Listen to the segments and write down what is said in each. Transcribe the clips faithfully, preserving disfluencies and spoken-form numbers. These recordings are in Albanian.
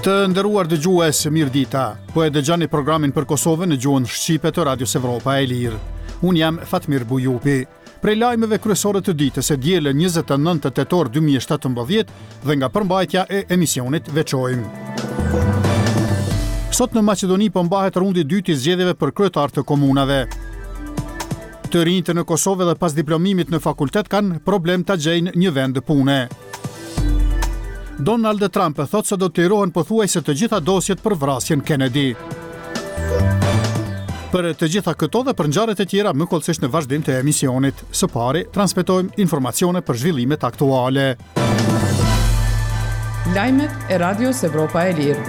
Të nderuar dëgjues, mirëdita. Po e dëgjoni programin për Kosovën në gjuhën shqipe të Radios Evropa e Lirë. Unë jam Fatmir Bujupi. Prej lajmeve kryesore të ditës e dielë njëzet e nëntë tetor dy mijë e shtatëmbëdhjetë dhe nga përmbajtja e emisionit veçojmë. Sot në Maqedoni po mbahet rundi i dytë i zgjedhjeve për kryetar të komunave. Të rinjtë në Kosovë dhe pas diplomimit në fakultet kanë problem ta gjejnë një vend pune. Donald Trump thotë se do të lirohen pothuajse të gjitha dosjet për vrasjen Kennedy. Për të gjitha këto dhe për ngjarjet e tjera më hollësisht në vazhdim të emisionit. Së pari, transmetojmë informacione për zhvillimet aktuale. Lajmet e Radios Evropa e Lirë.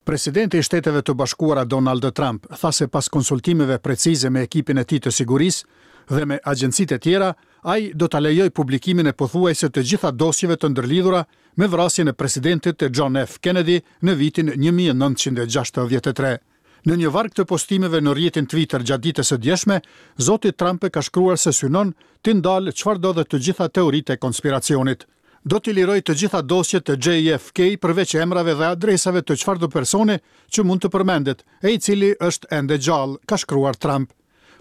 Presidenti i Shteteve të Bashkuara Donald Trump tha se pas konsultimeve precize me ekipin e tij të sigurisë dhe me agjencitë e tjera, ai do ta lejojë publikimin e pothuajse të gjitha dosjeve të ndërlidhura me vrasjen e presidentit John F. Kennedy në vitin një mijë e nëntëqind e gjashtëdhjetë e tre. Në një varg të postimeve në rrjetin Twitter gjatë ditës së djeshme, zoti Trump ka shkruar se synon të ndalë çfarëdo dhe të gjitha teoritë e konspiracionit. "Do t'i liroj të gjitha dosjet të J F K përveç emrave dhe adresave të çfarëdo personi që mund të përmendet, e i cili është ende gjallë", ka shkruar Trump.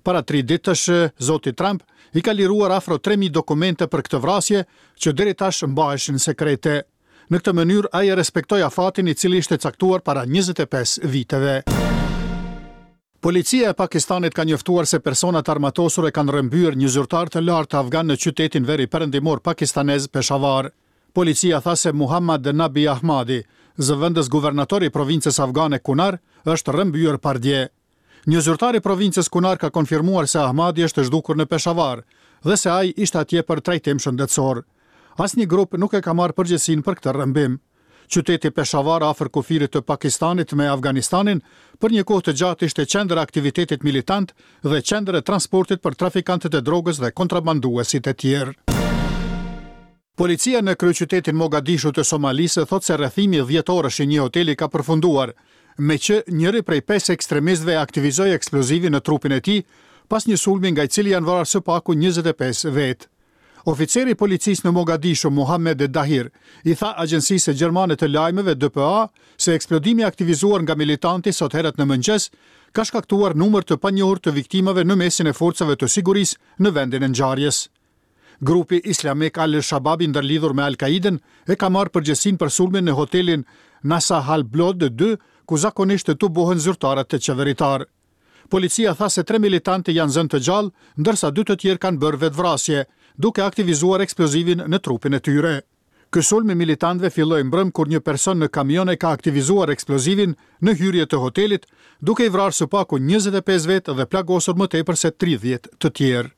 Para tri ditësh, zoti Trump i ka liruar afro tre mijë dokumente për këtë vrasje që deri tash mbaheshin sekrete. Në këtë mënyrë ai e respektoi afatin i cili ishte caktuar para njëzet e pesë viteve. Policia e Pakistanit ka njoftuar se personat armatosur e kanë rrëmbyer një zyrtar të lartë afgan në qytetin veri perëndimor pakistanez Peshawar. Policia tha se Muhammad Nabi Ahmadi, zëvendës guvernator i provincës afgane Kunar, është rrëmbyer pardje. Një zyrtar i provincës Kunar ka konfirmuar se Ahmadi është zhdukur në Peshawar dhe se ai ishte atje për trajtim shëndetësor. Asnjë grup nuk e ka marrë përgjegjësinë për këtë rrëmbim. Qyteti Peshawar, afër kufirit të Pakistanit me Afganistanin, për një kohë të gjatë ishte qendër e aktivitetit militant dhe qendër e transportit për trafikantët e drogës dhe kontrabanduesit e tjerë. Policia në kryeqytetin Mogadishu të Somalisë thotë se rrethimi dhjetë orësh i një hoteli ka përfunduar, me që njëri prej pesë ekstremistëve aktivizoi eksplozivin në trupin e tij pas një sulmi nga i cili janë vrarë së paku njëzet e pesë vetë. Oficeri i policisë në Mogadishu, Mohamed Dahir, i tha agjencisë gjermane të lajmeve D P A se eksplodimi aktivizuar nga militanti sot herët në mëngjes ka shkaktuar numër të panjohur të viktimave në mesin e forcave të sigurisë në vendin e ngjarjes. Grupi Islamik Al-Shabaab, i ndërlidhur me Al-Qaiden, e ka marrë përgjegjësinë për sulmin në hotelin Nasa Hablood dy, ku zakonisht tubohen zyrtarët të qeveritar. Policia tha se tre militantë janë zënë të gjallë, ndërsa dy të tjerë kanë bërë vetvrasje, duke aktivizuar eksplozivin në trupin e tyre. Ky sulm i militantëve filloi mbrëm kur një person në kamion e ka aktivizuar eksplozivin në hyrje të hotelit, duke i vrarë së paku njëzet e pesë vetë dhe plagosur më tepër se tridhjetë të tjerë.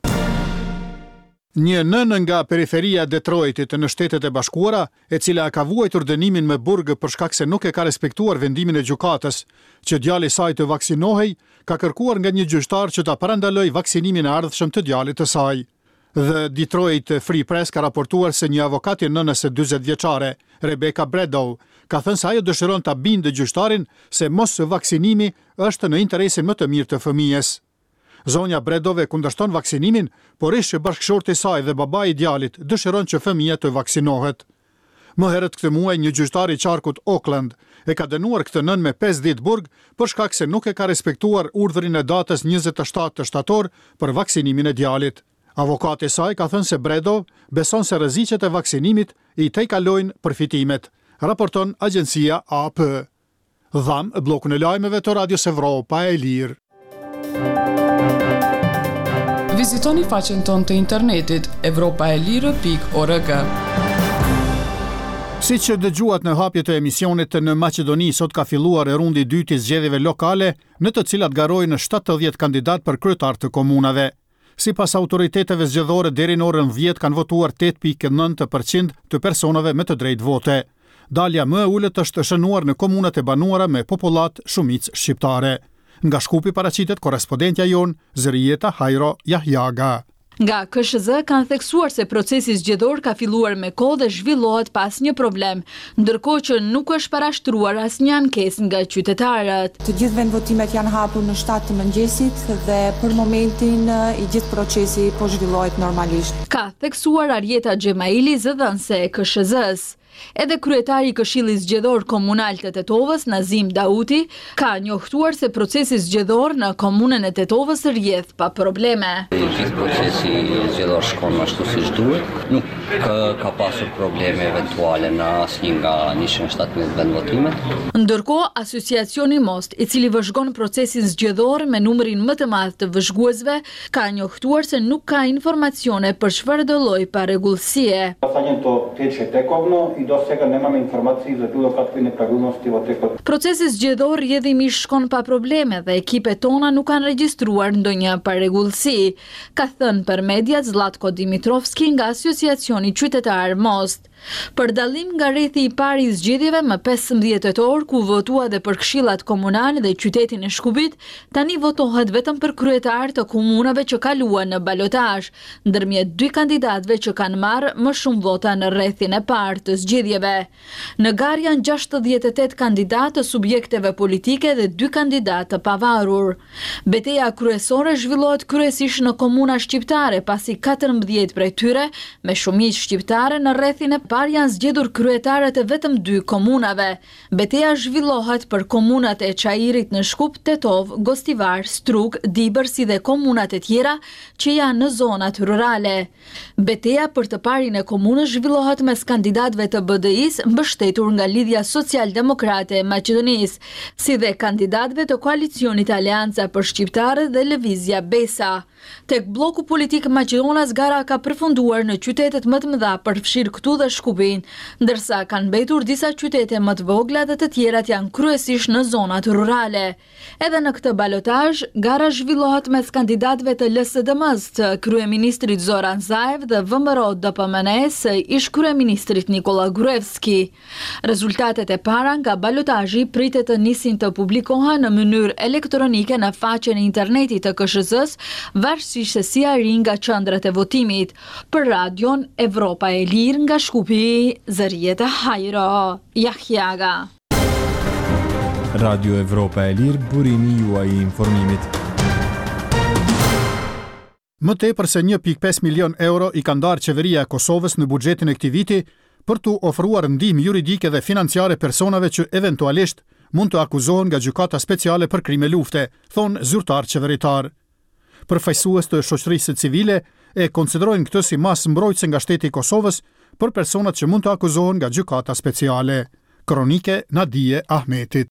Një nënë nga periferia e Detroitit në Shtetet e Bashkuara, e cila ka vuajtur dënimin me burg për shkak se nuk e ka respektuar vendimin e gjykatës që djali i saj të vaksinohej, ka kërkuar nga një gjyqtar që ta parandalojë vaksinimin e ardhshëm të djalit të saj. The Detroit Free Press ka raportuar se një avokat i nënës së dyzet vjeçare, Rebecca Bredow, ka thënë se ajo dëshiron ta bindë gjyqtarin se mos vaksinimi është në interesin më të mirë të fëmijës. Zonja Bredow kundërshton vaksinimin, por ish bashkëshorti i saj dhe babai i djalit dëshiron që fëmija të vaksinohet. Më herët këtë muaj, një gjyqtar i qarkut Oakland e ka dënuar këtë nënë me pesë ditë burg për shkak se nuk e ka respektuar urdhrin e datës njëzet e shtatë shtator për vaksinimin e djalit. Avokati i saj ka thënë se Bredow beson se rreziqet e vaksinimit i tejkalojnë përfitimet, raporton agjencia A P. Dham bllokun e lajmeve të Radios Evropa e Lirë. Vizitoni faqen tonë të internetit evropaelire pikë org. Si që dëgjuat në hapje të emisionit, në Maqedoni sot ka filluar e rundi i dytë i zgjedhjeve lokale, në të cilat garojnë shtatëdhjetë kandidat për kryetar të komunave. Sipas autoriteteve zgjedhore, deri në orën dhjetë kanë votuar tetë pikë nëntë për qind të personave me të drejtë vote. Dalja më e ulët është shënuar në komunat e banuara me popullatë shumicë shqiptare. Nga Shkupi paraqitet korrespondentja jonë, Zërijeta Hajro Jahjaga. Nga K S H Z kanë theksuar se procesi zgjedhor ka filluar me kohë dhe zhvillohet pa asnjë problem, ndërkohë që nuk është parashtruar asnjë ankesë nga qytetarët. Të gjithë vendvotimet janë hapur në shtatë të mëngjesit dhe për momentin i gjithë procesi po zhvillohet normalisht. Ka theksuar Arjeta Xhemaili, zëdhënëse e K S H Z-së. Edhe kryetari i Këshillit Zgjedhor Komunal të Tetovës, Nazim Dauti, ka njoftuar se procesi zgjedhor në komunën e Tetovës rrjedh pa probleme. I gjithë procesi zgjedhor shkon ashtu siç duhet. Nuk ka pasur probleme eventuale në asnjë nga njëqind e shtatëmbëdhjetë vendvotimet. Ndërkohë, Asociacioni Most, i cili vëzhgon procesin zgjedhor me numrin më të madh të vëzhguesve, ka njoftuar se nuk ka informacione për çfarëdo lloj parregullsie. Гласањето тече тековно и до сега немаме информации за било какви неправилности во текот. Procesi zgjedhor rrjedhimisht shkon pa probleme dhe ekipet tona nuk kanë regjistruar ndonjë parregullsi, ka thënë për mediat Zlatko Dimitrovski nga Asociacioni Qytetar Most. Për dallim nga rrethi i parë i zgjedhjeve më pesëmbëdhjetë tetor, ku votua dhe për këshillat komunale dhe qytetin e Shkupit, tani votohet vetëm për kryetar të komunave që kaluan në balotazh, ndërmjet dy kandidatëve që kanë marrë më shumë vota në rrethin e parë të zgjedhjeve. Në garë janë gjashtëdhjetë e tetë kandidatë të subjekteve politike dhe dy kandidatë të pavarur. Beteja kryesore zhvillohet kryesisht në komuna shqiptare, pasi katërmbëdhjetë prej tyre me shumicë shqiptare në rrethin e parë janë zgjedhur kryetarët e vetëm dy komunave. Beteja zhvillohet për komunat e Çairit në Shkup, Tetov, Gostivar, Strug, Dibër, si dhe komunat e tjera që janë në zonat rurale. Beteja për të parin e komunës zhvillohet mes kandidatëve të B D I-s mbështetur nga Lidhja Social-Demokrate e Maqedonisë, si dhe kandidatëve të koalicionit Aleanca për Shqiptarët dhe Lëvizja Besa. Tek bloku politik maqedonas gara ka përfunduar në qytetet më të mëdha, përfshirë këtu dhe Shkupin, ndërsa kanë mbetur disa qytete më të vogla dhe të tjerat janë kryesisht në zonat rurale. Edhe në këtë balotazh, gara zhvillohet mes kandidatëve të L S D M-s të kryeministrit Zoran Zaev dhe V M R O D P M N-s së ish kryeministrit Nikola Gruevski. Rezultatet e para nga balotazhi pritet të nisin të publikohen në mënyrë elektronike në faqen e internetit të K S H Z-s, varësisht se si arrin nga qendrat e votimit. Për Radion Evropa e Lirë nga Shkupi, Zërieta Hajro Jahjaga. Radio Evropa e Lirë, burimi juaj i informimit. Më tepër se një pikë pesë milion euro i ka ndarë qeveria e Kosovës në buxhetin e këtij viti për t'u ofruar ndihmë juridike dhe financiare personave që eventualisht mund të akuzohen nga gjykata speciale për krime lufte, thonë zyrtar qeveritar. Përfaqësues të shoqërisë civile e konsiderojnë këtë si masë mbrojtëse nga shteti i Kosovës për personat që mund të akuzohen nga gjykata speciale. Kronike Nadie Ahmetit.